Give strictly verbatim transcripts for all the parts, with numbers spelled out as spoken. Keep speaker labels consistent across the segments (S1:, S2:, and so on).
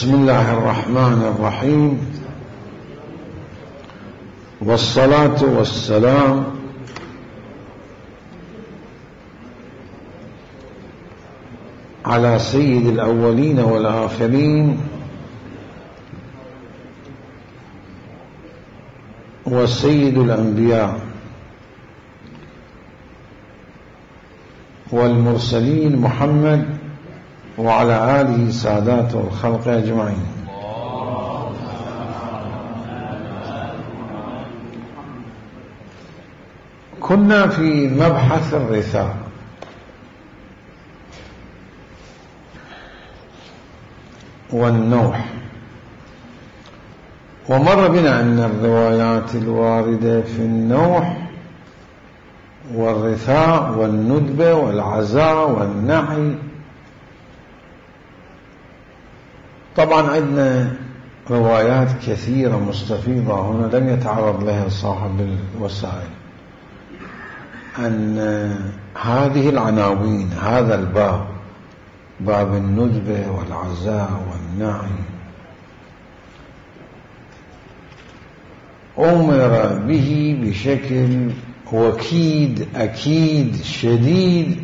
S1: بسم الله الرحمن الرحيم، والصلاة والسلام على سيد الأولين والآخرين وسيد الأنبياء والمرسلين محمد وعلى آله سادات الخلق أجمعين. كنا في مبحث الرثاء، والنوح، ومر بنا أن الروايات الواردة في النوح والرثاء والندبة والعزاء والنعي، طبعا عندنا روايات كثيرة مستفيضة هنا لم يتعرض لها صاحب الوسائل، أن هذه العناوين، هذا الباب، باب الندبة والعزاء والنعي، أمر به بشكل وكيد أكيد شديد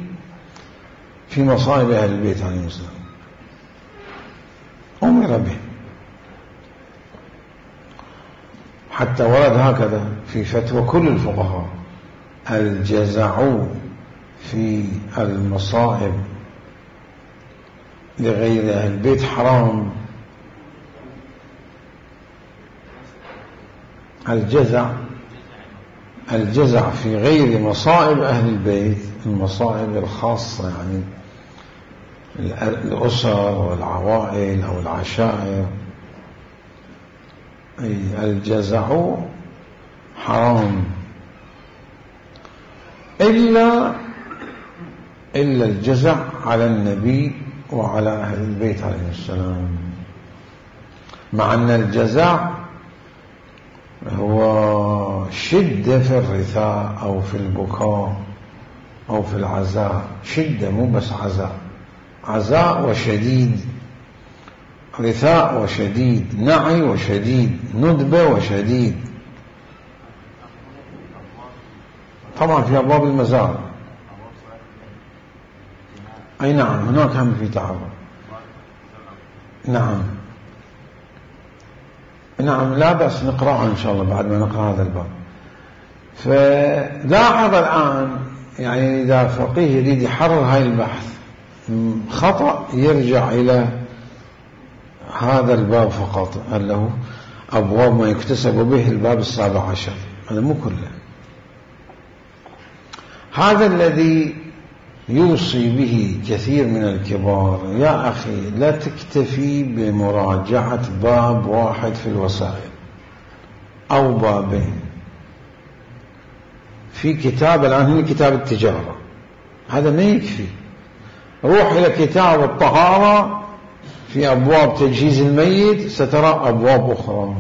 S1: في مصائب أهل البيت عليهم السلام، أمر به، حتى ورد هكذا في فتوى كل الفقهاء: الجزع في المصائب لغير أهل البيت حرام. الجزع الجزع في غير مصائب أهل البيت، المصائب الخاصة يعني الأسر والعوائل أو العشائر، الجزع حرام إلا إلا الجزع على النبي وعلى أهل البيت عليه السلام، مع أن الجزع هو شدة في الرثاء أو في البكاء أو في العزاء، شدة مو بس عزاء، عزاء وشديد، رثاء وشديد، نعي وشديد، ندبة وشديد. طبعا في أبواب المزار، أي نعم هناك هم في تعرض، نعم نعم لا بأس نقرأها إن شاء الله بعد ما نقرأ هذا الباب. فلاحظ الآن يعني إذا فقيه يريد يحرر هاي البحث خطأ يرجع إلى هذا الباب فقط، اللي هو أبواب ما يكتسب به الباب السابع عشر، هذا مو كله. هذا الذي يوصي به كثير من الكبار: يا أخي لا تكتفي بمراجعة باب واحد في الوسائل أو بابين في كتاب، الآن هنا كتاب التجارة، هذا ما يكفي. روح إلى كتاب الطهارة في أبواب تجهيز الميت، سترى أبواب أخرى.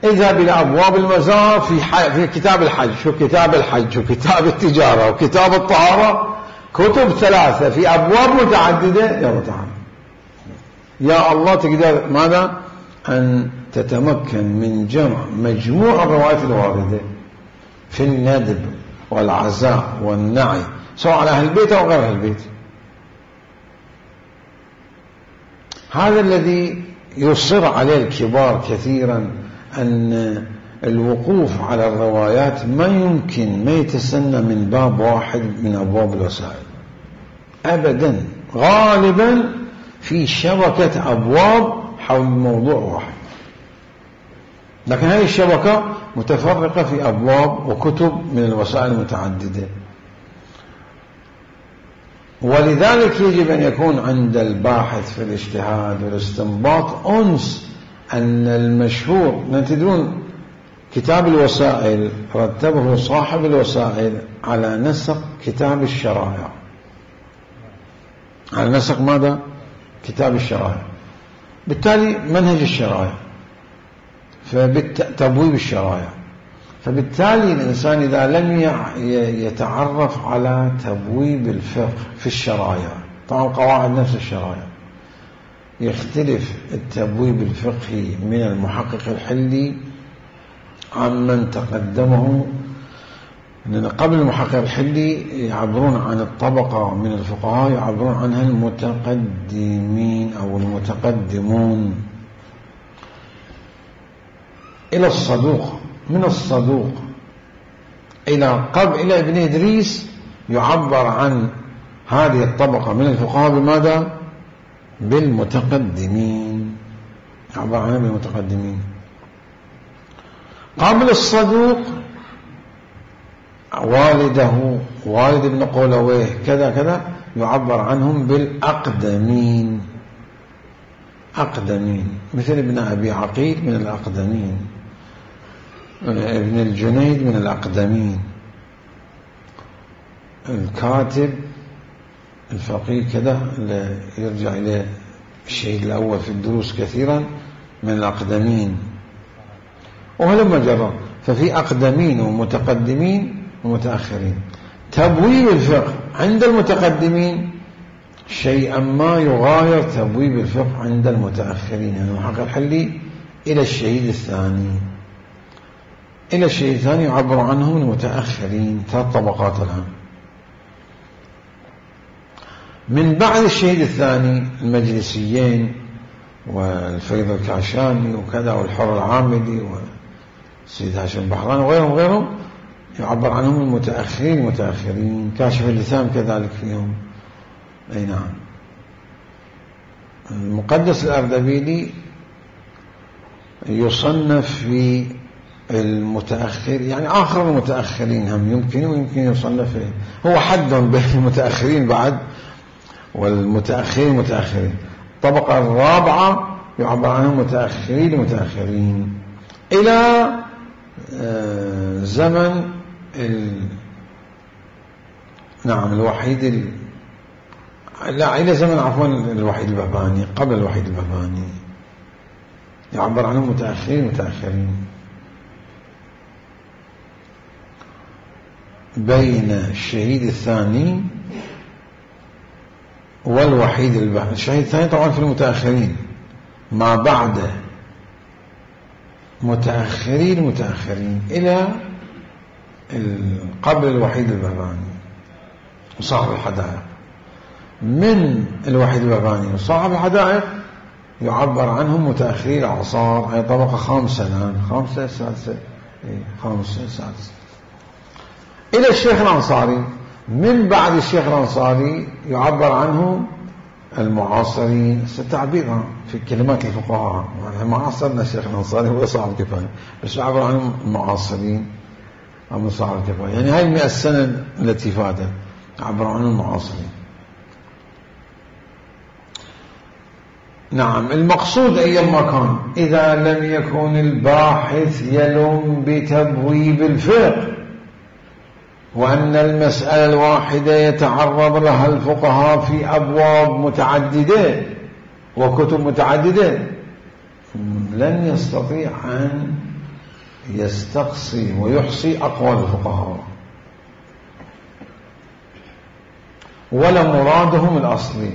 S1: اذهب إلى أبواب المزار في, في كتاب الحج، شو كتاب الحج وكتاب التجارة وكتاب الطهارة، كتب ثلاثة في أبواب متعددة. يا متعدد يا الله تقدر ماذا؟ أن تتمكن من جمع مجموع الروايات الواردة في الندب والعزاء والنعي، سواء على أهل البيت أو غير أهل البيت. هذا الذي يصر عليه الكبار كثيرا، أن الوقوف على الروايات ما يمكن ما يتسنى من باب واحد من أبواب الوسائل أبدا، غالبا في شبكة أبواب حول موضوع واحد، لكن هذه الشبكة متفرقة في أبواب وكتب من الوسائل المتعددة. ولذلك يجب أن يكون عند الباحث في الاجتهاد والاستنباط أنس أن المشهور، تدرون كتاب الوسائل رتبه صاحب الوسائل على نسق كتاب الشرائع، على نسق ماذا؟ كتاب الشرائع، بالتالي منهج الشرائع، فتبويب الشرائع. فبالتالي الإنسان إذا لم يتعرف على تبويب الفقه في الشرائع، طبعا قواعد نفس الشرائع، يختلف التبويب الفقهي من المحقق الحلي عمن تقدمه، لأن قبل المحقق الحلي يعبرون عن الطبقة من الفقهاء يعبرون عنها المتقدمين أو المتقدمون إلى الصدوق، من الصدوق إلى قبل إلى ابن إدريس يعبر عن هذه الطبقة من الفقهاء بماذا؟ بالمتقدمين، يعبر عنها بالمتقدمين. قبل الصدوق والده والد ابن قولويه كذا كذا يعبر عنهم بالأقدمين، أقدمين، مثل ابن أبي عقيل من الأقدمين، ابن الجنيد من الأقدمين، الكاتب الفقيه كذا اللي يرجع إليه الشهيد الأول في الدروس كثيرا من الأقدمين، وهلما جرى. ففي أقدمين ومتقدمين ومتأخرين. تبويب الفقه عند المتقدمين شيئا ما يغاير تبويب الفقه عند المتأخرين، يعني المحقق الحلي إلى الشهيد الثاني، إلى الشهيد الثاني يعبر عنهم المتأخرين، ثلاث طبقات الآن. من بعد الشهيد الثاني المجلسيين والفيض الكاشاني وكذا والحر العامدي والسيد هاشم البحراني وغيرهم وغيرهم يعبر عنهم المتأخرين المتأخرين. كاشف اللثام كذلك فيهم. أي نعم. المقدس الأردبيلي يصنف في المتأخر، يعني آخر المتأخرين هم يمكن ويمكن يصنف فيه. هو حد بين المتأخرين بعد والمتأخرين المتأخرين. الطبقة الرابعة يعبر عنهم متأخرين المتأخرين إلى زمن ال... نعم الوحيد ال... لا إلى زمن عفوا الوحيد البهبهاني، قبل الوحيد البهبهاني يعبر عنهم متأخرين متأخرين. بين الشهيد الثاني والوحيد البهبهاني، الشهيد الثاني طبعا في المتأخرين، ما بعده متأخرين متأخرين إلى قبل الوحيد البهبهاني وصاحب الحدائق. من الوحيد البهبهاني وصاحب الحدائق يعبر عنهم متأخرين الأعصار، أي طبقة خامسة الآن، خامسة سادسة، خامسة سادسة. إلى الشيخ الأنصاري، من بعد الشيخ الأنصاري يعبر عنه المعاصرين. ستعبيرها في كلمات الفقهاء، ما عاصرنا الشيخ الأنصاري هو صاحب الكفاية، بس يعبر عنهم المعاصرين أو صاحب الكفاية، يعني هاي المئة سنة التي فاتت يعبر عنهم المعاصرين. نعم. المقصود أيما كان إذا لم يكن الباحث يلوم بتبويب الفقه وأن المسألة الواحدة يتعرض لها الفقهاء في أبواب متعددة وكتب متعددة، لن يستطيع أن يستقصي ويحصي أقوال الفقهاء ولا مرادهم الأصلي.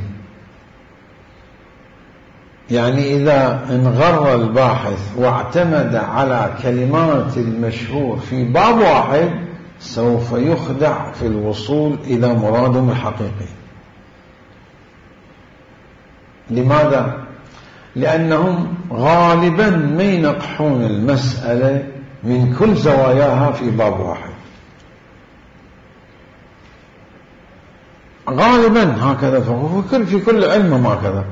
S1: يعني إذا انغر الباحث واعتمد على كلمات المشهور في باب واحد سوف يخدع في الوصول إلى مرادهم الحقيقي. لماذا؟ لأنهم غالبا ما ينقحون المسألة من كل زواياها في باب واحد، غالبا هكذا. في كل علم هكذا،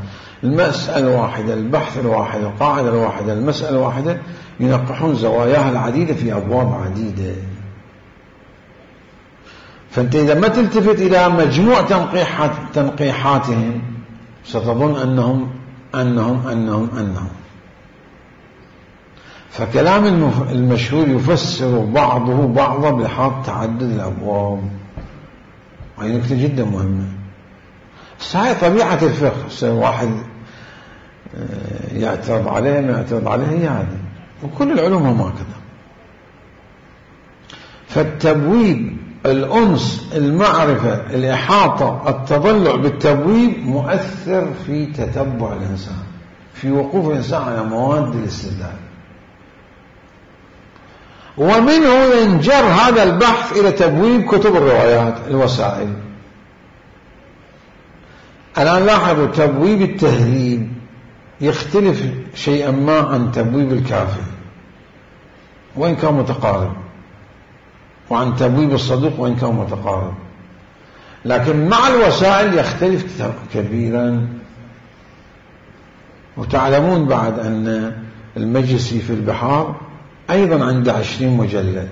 S1: المسألة الواحدة، البحث الواحد، القاعدة الواحدة، المسألة الواحدة ينقحون زواياها العديدة في أبواب عديدة. فأنت إذا ما تلتفت إلى مجموع تنقيحات تنقيحاتهم ستظن أنهم أنهم أنهم أنهم فكلام المشهور يفسر بعضه بعضا بحاط تعدد الأبواب، وهي نكتة جدا مهمة. هاي طبيعة الفقه، واحد يعترض عليه ما يعترض عليه، هي هذه، وكل العلوم هم هكذا. فالتبويب، الأنس، المعرفة، الإحاطة، التضلع بالتبويب مؤثر في تتبع الإنسان. في وقوف الإنسان على مواد الاستدلال. ومنه ينجر هذا البحث إلى تبويب كتب الروايات الوسائل. الآن لاحظوا تبويب التهذيب يختلف شيئا ما عن تبويب الكافي وإن كان متقارب، وعن تبويب الصدوق وإن كان متقارب، لكن مع الوسائل يختلف كبيرا. وتعلمون بعد أن المجلسي في البحار أيضا عنده عشرين مجلد،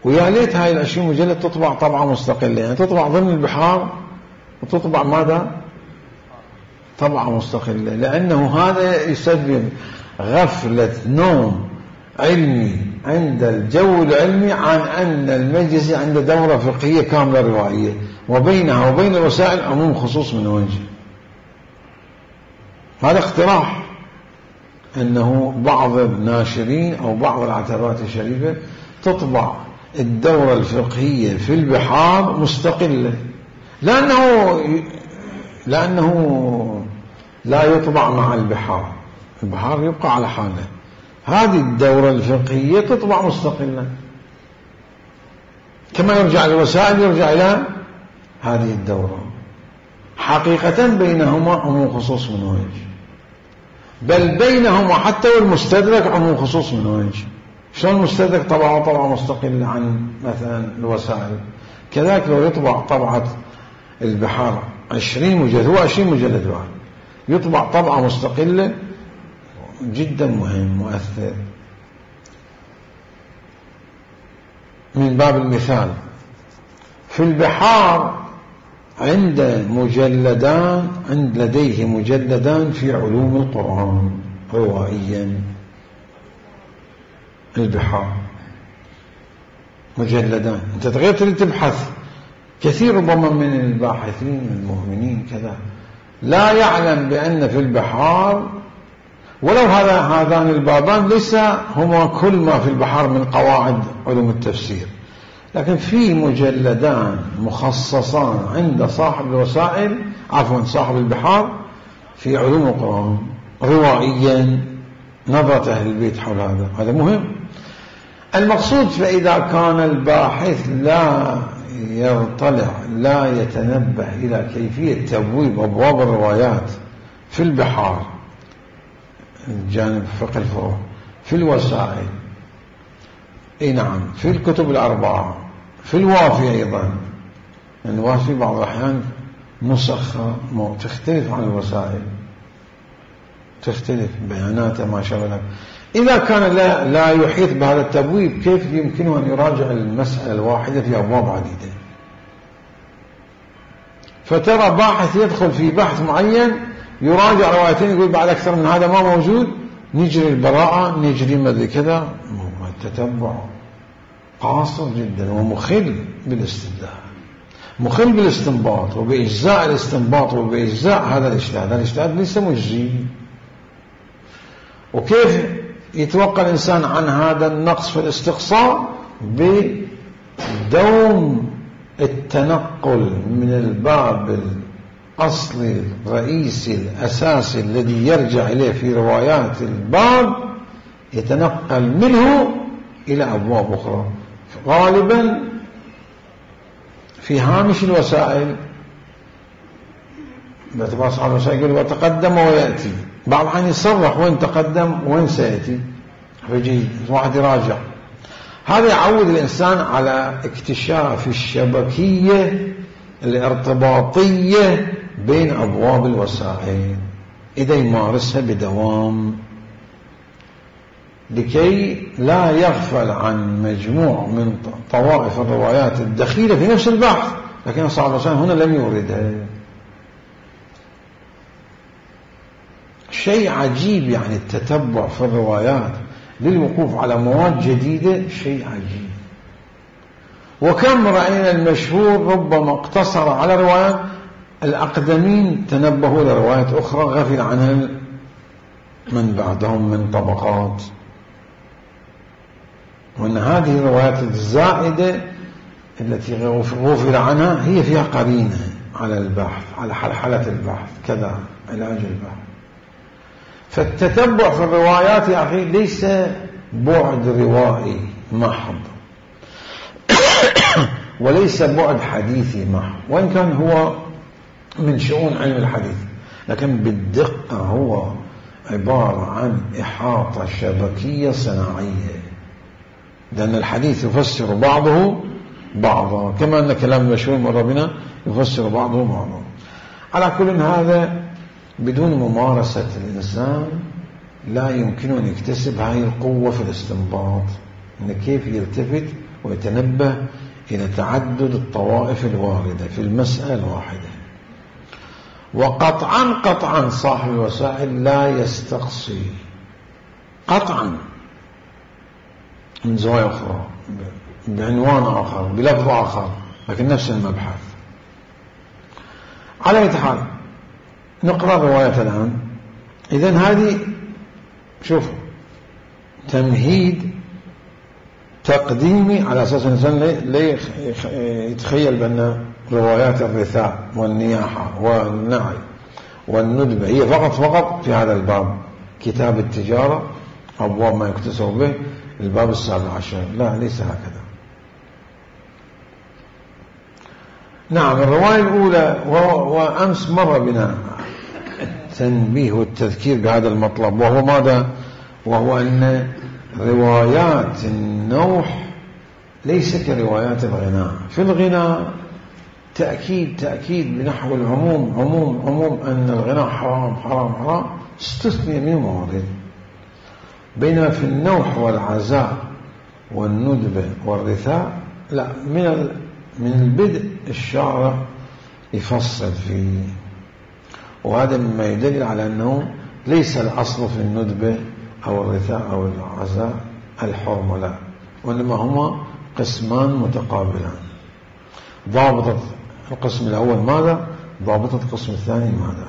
S1: ويا ليت هاي العشرين مجلد تطبع طبعة مستقلة، يعني تطبع ضمن البحار وتطبع ماذا؟ طبعة مستقلة، لأنه هذا يسبب غفلة نوم علمي عند الجو العلمي عن أن المجلسي عنده دورة فقهية كاملة روائية، وبينها وبين الوسائل عموم خصوص من وجه. هذا اقتراح أنه بعض الناشرين أو بعض العتبات الشريفة تطبع الدورة الفقهية في البحار مستقلة، لأنه لأنه لا يطبع مع البحار، البحار يبقى على حاله. هذه الدورة الفقهية تطبع مستقلة، كما يرجع للوسائل يرجع إلى هذه الدورة. حقيقة بينهما عموم خصوص من وجه، بل بينهما حتى والمستدرك عموم خصوص من وجه. شلون المستدرك طبعه طبعة مستقلة عن مثلا الوسائل، كذلك لو يطبع طبعة البحار عشرين مجلد، هو عشرين مجلد واحد، يطبع طبعة مستقلة جدا مهم مؤثر. من باب المثال، في البحار عند مجلدان عند لديه مجلدان في علوم القرآن روائيا. البحار مجلدان، انت تغير تريد تبحث. كثير ربما من الباحثين المؤمنين كذا لا يعلم بأن في البحار، ولو هذا هذان البابان ليس هما كل ما في البحار من قواعد علوم التفسير، لكن في مجلدان مخصصان عند صاحب الوسائل عفوا صاحب البحار في علوم القرآن روائيا، نظرة أهل البيت حول هذا. هذا مهم. المقصود فإذا كان الباحث لا يطلع لا يتنبه إلى كيفية تبويب أبواب الروايات في البحار، الجانب فقه الفروع، في الوسائل، اي نعم، في الكتب الأربعة، في الوافي أيضا. الوافي بعض الأحيان نسخة تختلف عن الوسائل، تختلف بياناته ما شاء الله. إذا كان لا, لا يحيط بهذا التبويب كيف يمكنه أن يراجع المسألة الواحدة في أبواب عديدة؟ فترى باحث يدخل في بحث معين يراجع روايتين يقول بعد أكثر من هذا ما موجود، نجري البراءة نجري ماذا كذا. التتبع قاصر جدا ومخل بالاستدلال، مخل بالاستنباط وبإجزاء الاستنباط وبإجزاء هذا الاجتهاد. هذا الاجتهاد ليس مجزي. وكيف يتوقع الإنسان عن هذا النقص في الاستقصاء؟ بدوم التنقل من الباب الأصلي الرئيسي الأساسي الذي يرجع إليه في روايات الباب، يتنقل منه إلى أبواب أخرى، غالبا في هامش الوسائل. باعتبار صاحب الوسائل يقول وتقدم ويأتي، بعض الحين يصرح وين تقدم وين سيأتي، فيجي واحد يراجع. هذا يعود الإنسان على اكتشاف الشبكية الارتباطية بين أبواب الوسائل إذا يمارسها بدوام، لكي لا يغفل عن مجموع من طوائف الروايات الدخيلة في نفس البحث، لكن صاحب الوسائل هنا لم يوردها. شيء عجيب يعني التتبع في الروايات للوقوف على مواد جديدة، شيء عجيب. وكم رأينا المشهور ربما اقتصر على روايات الأقدمين، تنبهوا لروايات أخرى غفل عنها من بعدهم من طبقات. وأن هذه الروايات الزائدة التي غفل عنها هي فيها قرينة على البحث، على حلحلة البحث، كذا علاج البحث. فالتتبع في الروايات يا أخي ليس بعد روائي محض وليس بعد حديثي محض، وإن كان هو من شؤون علم الحديث، لكن بالدقة هو عبارة عن إحاطة شبكية صناعية، لأن الحديث يفسر بعضه بعضا، كما أن كلام مشهور مر بنا يفسر بعضه بعضا. على كل هذا بدون ممارسة الإنسان لا يمكن أن يكتسب هذه القوة في الاستنباط، إن كيف يلتفت ويتنبه إلى تعدد الطوائف الواردة في المسألة الواحدة. وقطعا قطعا صاحب الوسائل لا يستقصي قطعا من زوايا أخرى بعنوان آخر بلفظ آخر، لكن نفس المبحث. على أي حال نقرأ رواية الآن. إذن هذه شوف تمهيد تقديمي على أساس الإنسان لا يتخيل بأن روايات الرثاء والنياحة والنعي والندبة هي فقط فقط في هذا الباب، كتاب التجارة أبواب ما يكتسب به الباب السابع عشر، لا ليس هكذا. نعم الرواية الأولى، وأمس مر بنا التنبيه والتذكير بهذا المطلب، وهو ماذا؟ وهو أن روايات النوح ليس كروايات الغناء. في الغناء تأكيد تأكيد بنحو العموم عموم عموم أن الغناء حرام حرام حرام، استثني من موارد. بينما في النوح والعزاء والندبة والرثاء لا، من من البدء الشارع يفصل فيه، وهذا مما يدل على أنه ليس الأصل في الندبة أو الرثاء أو العزاء الحرمة، لا، وإنما هما قسمان متقابلان. ضابطة القسم الأول ماذا؟ ضابطة القسم الثاني ماذا؟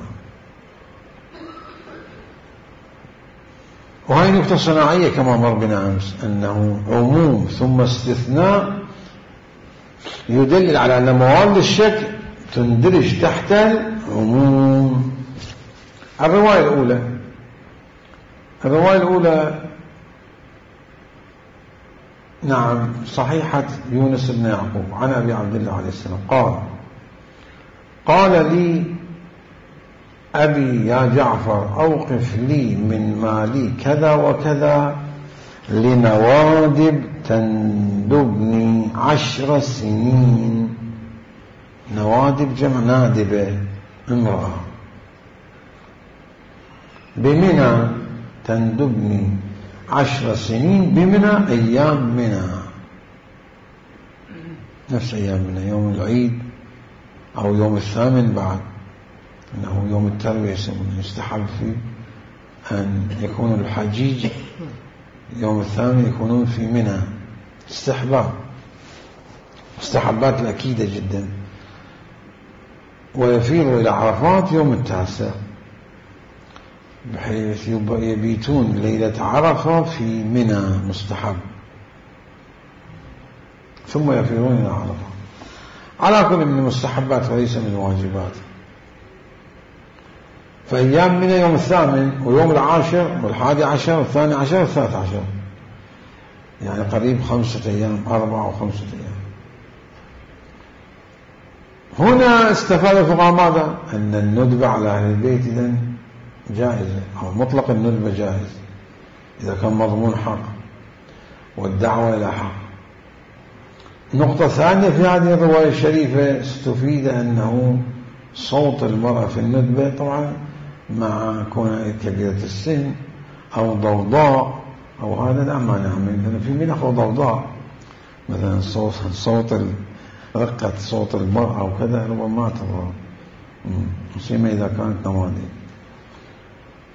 S1: وهي نقطة صناعية كما مر بنا أمس، أنه عموم ثم استثناء يدلل على أن موارد الشك تندرج تحت العموم. الرواية الأولى الرواية الأولى نعم صحيحة يونس بن يعقوب عن أبي عبد الله عليه السلام قال: قال لي أبي يا جعفر أوقف لي من مالي كذا وكذا لنوادب تندبني عشر سنين. نوادب جمع نادبة امرأة. بمنى تندبني عشر سنين، بمنى أيام منى، نفس أيام منى، يوم العيد أو يوم الثامن بعد، أنه يوم التروية يسمونه، يستحب فيه أن يكون الحجيج يوم الثامن يكونون في منى، استحباب مستحبات الأكيدة جدا. ويفيض إلى عرفات يوم التاسع، بحيث يبيتون ليلة عرفة في منى مستحب، ثم يفيضون إلى عرفة. على كل من المستحبات وليس من الواجبات. فأيام منى يوم الثامن ويوم العاشر والحادي عشر والثاني عشر والثالث عشر، يعني قريب خمسة أيام، أربعة وخمسة أيام. هنا استفاد الفقهاء ماذا؟ أن الندبة على أهل البيت إذن جائزة، أو مطلق الندبة جائز إذا كان مضمون حق والدعوة إلى حق. نقطة ثانية في هذه الرواية الشريفة استفيد أنه صوت المرأة في الندبة طبعا مع كونها كبيرة السن أو ضوضاء أو هذا لا مانع منه، لأن في منح ضوضاء مثلا صوت صوت رقة صوت المرأة وكذا ربما تضر، مسيما إذا كانت نوادي.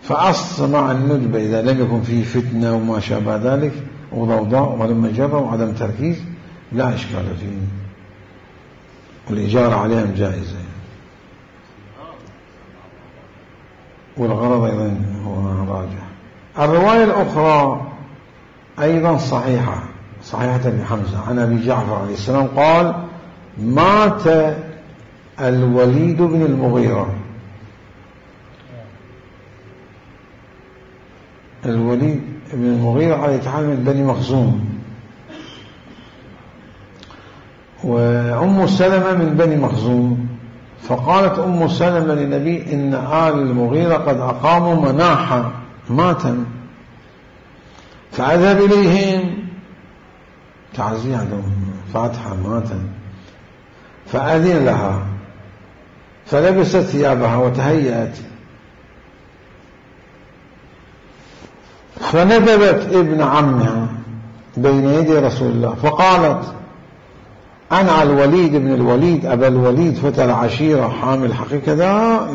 S1: فأصل مع الندبة إذا لم يكن فيه فتنة وما شابه ذلك وضوضاء ولما جرى وعدم تركيز لا إشكال فيه، والإجارة عليهم جائزة، والغرض أيضا هو راجح. الرواية الأخرى أيضا صحيحة، صحيحة ابن حمزة عن أبي جعفر عليه السلام قال: مات الوليد بن المغيرة الوليد بن المغيرة على يتحال من بني مخزوم، وأم سلمة من بني مخزوم. فقالت أم سلمة للنبي إن آل المغيرة قد أقاموا مناحا ماتا، فأذهب إليهم تعزي عندهم فاتحة ماتا. فأذن لها فلبست ثيابها وتهيأت، فندبت ابن عمها بين يدي رسول الله فقالت أنا الوليد بن الوليد أبا الوليد فتى العشيرة حامل حقيقة ذا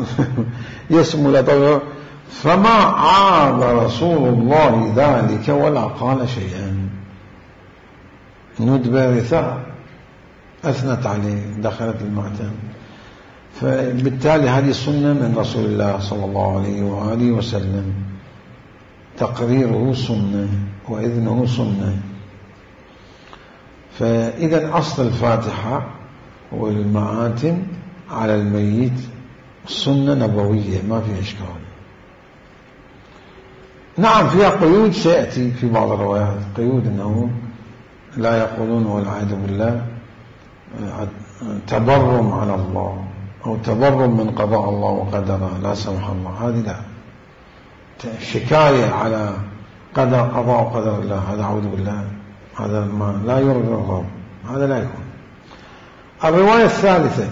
S1: يسمو لطبعه. فما عاب رسول الله ذلك ولا قال شيئا. ندبة رثاء أثنت عليه دخلت المعتم. فبالتالي هذه سنة من رسول الله صلى الله عليه وآله وسلم، تقريره سنة وإذنه سنة. فإذا أصل الفاتحة والمآتم على الميت سنة نبوية ما فيها إشكال. نعم فيها قيود سيأتي في بعض الروايات، قيود أنه لا يقولون والعياذ بالله تبرم على الله أو تبرم من قضاء الله وقدره لا سمح الله، هذه لا. شكاية على قدر قضاء وقدر الله هذا أعوذ بالله، هذا ما لا يرضي الرب، هذا لا يكون. الرواية الثالثة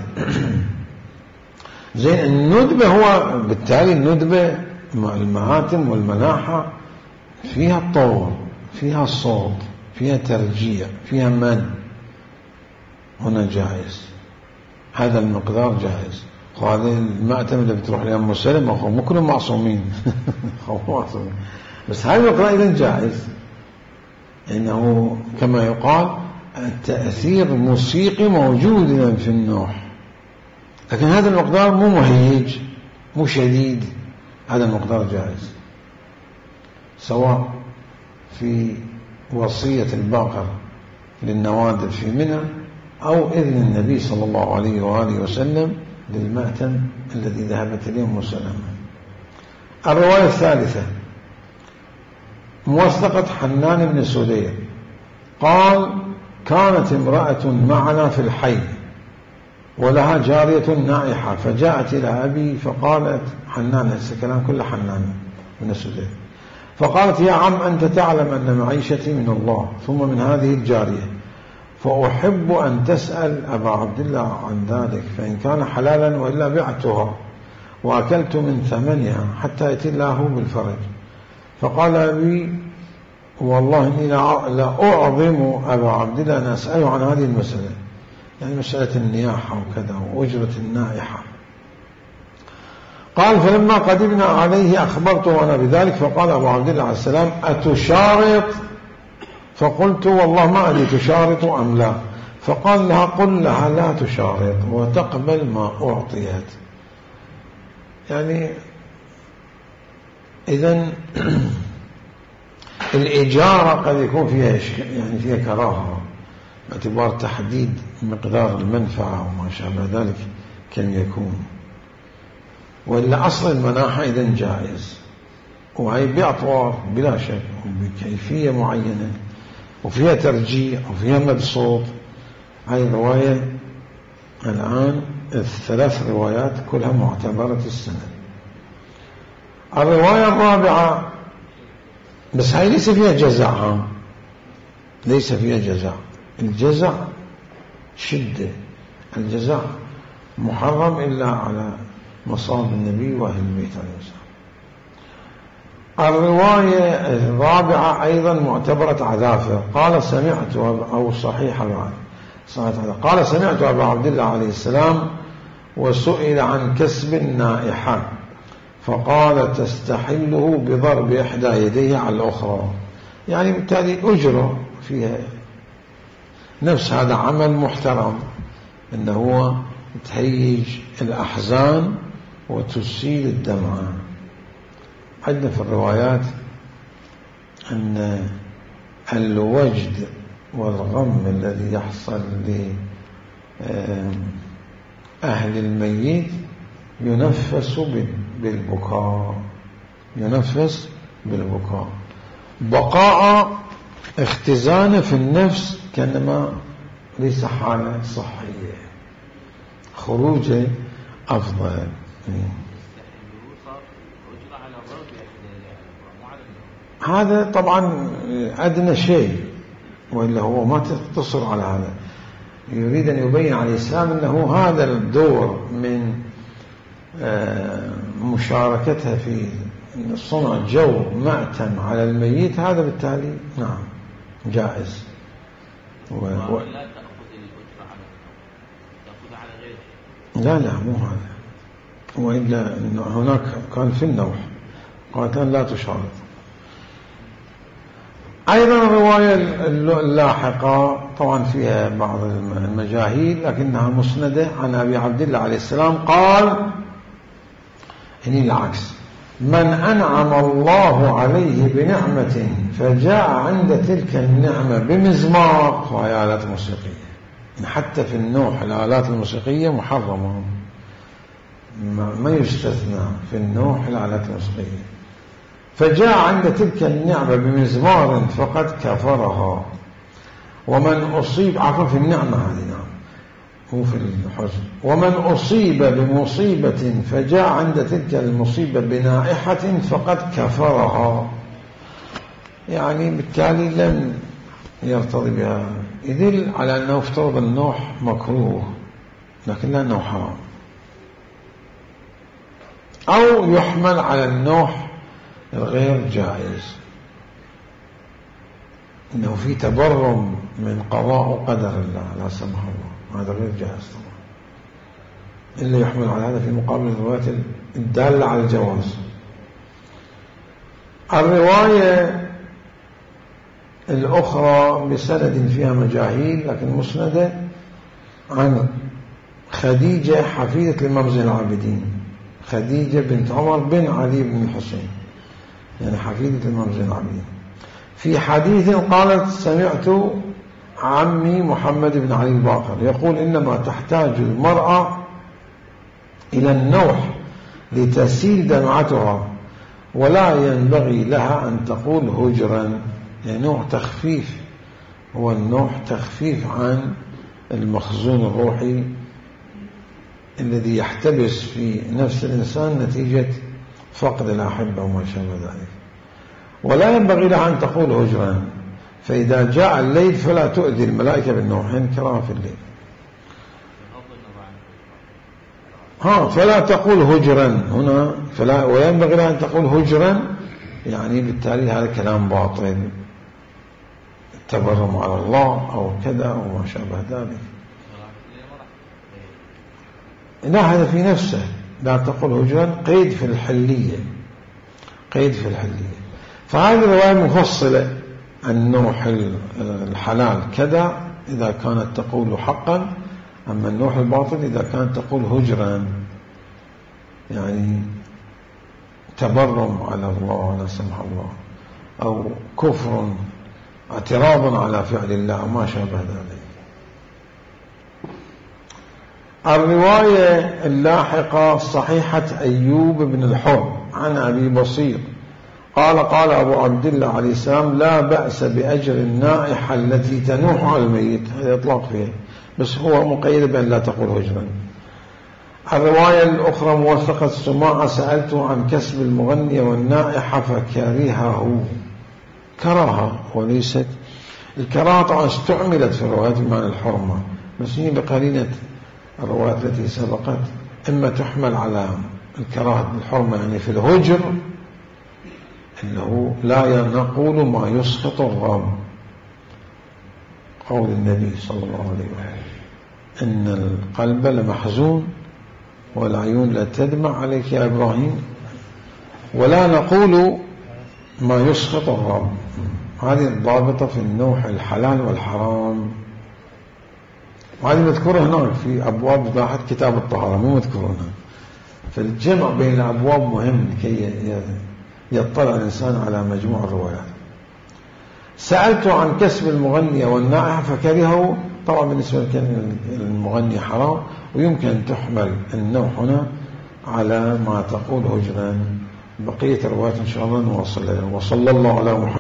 S1: زين الندبة، هو بالتالي الندبة المهاتم والمناحة فيها الطول، فيها الصوت، فيها ترجيع، فيها من، هنا جائز، هذا المقدار جائز. وهذا المأتم اللي بتروح لأم سلمة مو كلهم معصومين معصومين، بس هذا المقدار إذن جائز، إنه كما يقال التأثير موسيقي موجود في النوح، لكن هذا المقدار مو مهيج مو شديد، هذا المقدار جائز، سواء في وصية الباقر للنوادر في منى أو إذن النبي صلى الله عليه وآله وسلم للمأتم الذي ذهبت إليه أم سلمة. الرواية الثالثة موثقة حنان بن سدير قال كانت امرأة معنا في الحي ولها جارية نائحة، فجاءت إلى أبي فقالت حنان، هذا كلام كله حنان بن سدير، فقالت يا عم أنت تعلم أن معيشتي من الله ثم من هذه الجارية، فأحب أن تسأل أبا عبد الله عن ذلك، فإن كان حلالا وإلا بعتها وأكلت من ثمنها حتى يأتي الله بالفرج. فقال أبي والله إني لا أعظم أبا عبد الله أن أسأله عن هذه المسألة، يعني مسألة النياحة وكذا وأجرة النائحة. قال فلما قدمنا عليه أخبرته أنا بذلك، فقال أبو عبد الله عليه السلام أتشارط؟ فقلت والله ما أدري تشارط أم لا. فقال لها قل لها لا تشارط وتقبل ما أعطيت. يعني إذن الإجارة قد يكون فيها يعني فيها كراهة باعتبار تحديد مقدار المنفعة وما شابه ذلك كم يكون، وإلا أصل المناحة إذن جائز، وهي بأطوار بلا شك وبكيفية معينة وفيها ترجيع وفيها مبسوط. هاي الرواية الآن الثلاث روايات كلها معتبرة السند. الرواية الرابعة بس هاي ليس فيها جزع، ليس فيها جزع، الجزع شدة، الجزع محرم إلا على مصاب النبي وأهل البيت عليه السلام. الرواية الرابعة أيضا معتبرة عذافة. قال سمعت أو صحيحة بعد قال سمعت أبا عبد الله عليه السلام وسئل عن كسب النائحة فقال تستحله بضرب إحدى يديه على الأخرى، يعني بالتالي أجرة فيها، نفس هذا عمل محترم إنه هو تهيج الأحزان وتسيل الدمعة. عندنا في الروايات أن الوجد والغم الذي يحصل لأهل الميت ينفس بالبكاء، ينفس بالبكاء. بقاء اختزانه في النفس كأنما ليس حالة صحية، خروجه أفضل. هذا طبعا أدنى شيء، وإلا هو ما تقتصر على هذا. يريد أن يبين على الإسلام أنه هذا الدور من مشاركتها في صنع جو مأتم على الميت، هذا بالتالي نعم جائز. و... و... لا لا مو هذا، وإلا هناك كان في النوح قالت لا تشارك. أيضا الرواية اللاحقة طبعا فيها بعض المجاهيل لكنها مسندة عن أبي عبد الله عليه السلام قال إني العكس: من أنعم الله عليه بنعمة فجاء عند تلك النعمة بمزمار، وهي آلات موسيقية. حتى في النوح الآلات الموسيقية محرمة، ما يستثنى في النوح الآلات الموسيقية. فجاء عند تلك النعمة بمزمار فقد كفرها. ومن أصيب عفوا في النعمة هذه نعم مو في الحزن. ومن أصيب بمصيبة فجاء عند تلك المصيبة بنائحة فقد كفرها، يعني بالتالي لم يرتضي بها. يدل على أنه افترض النوح مكروه لكن لا أنه حرام، أو يحمل على النوح الغير جائز، إنه في تبرم من قضاء وقدر الله لا سمح الله، هذا غير جائز طبعا، إلا يحمل على هذا في مقابل الروايات الدالة على الجواز. الرواية الأخرى بسند فيها مجاهيل لكن مسندة عن خديجة حفيدة الإمام زين العابدين، خديجة بنت عمر بن علي بن الحسين، يعني حفيدة الإمام زين العابدين. في حديث قالت: سمعت عمي محمد بن علي الباقر يقول: إنما تحتاج المرأة إلى النوح لتسيل دمعتها، ولا ينبغي لها أن تقول هجرا. يعني نوع تخفيف، هو النوح تخفيف عن المخزون الروحي الذي يحتبس في نفس الإنسان نتيجة فقد الأحبة وما شابه ذلك. ولا ينبغي لها أن تقول هجرا، فإذا جاء الليل فلا تؤذي الملائكة بالنوحين كراهة في الليل. ها فلا تقول هجرا هنا، فلا وينبغي لها أن تقول هجرا، يعني بالتالي هذا كلام باطل، التبرم على الله أو كذا أو ما شابه ذلك. لا هذا في نفسه، لا تقول هجرا قيد في الحلية، قيد في الحلية. فهذه الرواية مفصلة: النوح الحلال كذا إذا كانت تقول حقا، أما النوح الباطل إذا كانت تقول هجرا، يعني تبرم على الله لا سمح الله، أو كفر اعتراض على فعل الله ما شابه ذلك. الرواية اللاحقة صحيحة أيوب بن الحر عن أبي بصير قال: قال أبو عبد الله عليه السلام: لا بأس بأجر النائحة التي تنوح على الميت. هذا إطلاق فيه، بس هو مقيد بأن لا تقول هجرا. الرواية الأخرى موثقة السماعة: سألته عن كسب المغنية والنائحة فكرهه. كراهة وليست الكراهة، طبعا استعملت في الروايات بمعنى الحرمة، بس هي بقرينة الروايات التي سبقت، إما تحمل على الكراهة بالحرمة يعني في الهجر إنه لا نقول ما يسخط الرب، قول النبي صلى الله عليه وسلم: إن القلب لمحزون والعيون لا تدمع عليك يا إبراهيم، ولا نقول ما يسخط الرب. هذه الضابطة في النوح الحلال والحرام، وهذه مذكورة هناك في أبواب ضاحت كتاب الطهارة، مو مذكورة هنا. فالجمع بين الأبواب مهم لكي يطلع الإنسان على مجموع الروايات. سألت عن كسب المغنية والنائحة فكرهه. طبعا بالنسبة للمغني حرام، ويمكن أن تحمل النوح هنا على ما تقول هجرا، بقية الروايات إن شاء الله نواصل. وصلى الله على محمد.